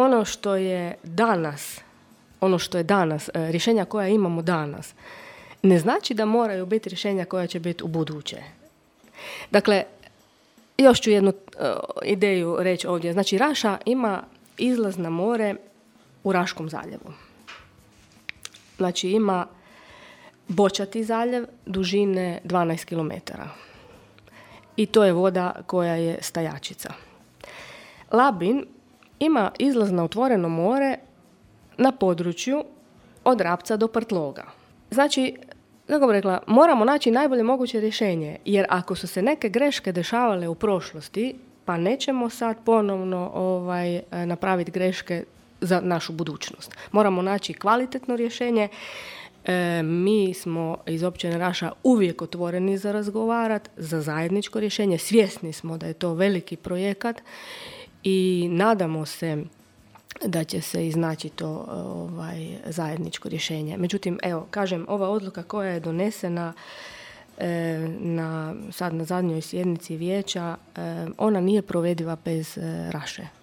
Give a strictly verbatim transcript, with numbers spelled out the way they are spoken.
ono što je danas, ono što je danas, rješenja koja imamo danas, ne znači da moraju biti rješenja koja će biti u buduće. Dakle, još ću jednu uh, ideju reći ovdje. Znači, Raša ima izlaz na more u Raškom zaljevu. Znači, ima bočati zaljev dužine dvanaest kilometara. I to je voda koja je stajačica. Labin ima izlaz na otvoreno more na području od Rapca do Prtloga. Znači, kako bih rekla, moramo naći najbolje moguće rješenje, jer ako su se neke greške dešavale u prošlosti, pa nećemo sad ponovno ovaj, napraviti greške za našu budućnost. Moramo naći kvalitetno rješenje. E, mi smo iz općine Raša uvijek otvoreni za razgovarati, za zajedničko rješenje. Svjesni smo da je to veliki projekat i nadamo se da će se iznaći to ovaj, zajedničko rješenje. Međutim, evo, kažem, ova odluka koja je donesena e, na, sad na zadnjoj sjednici vijeća, e, ona nije provediva bez e, Raše.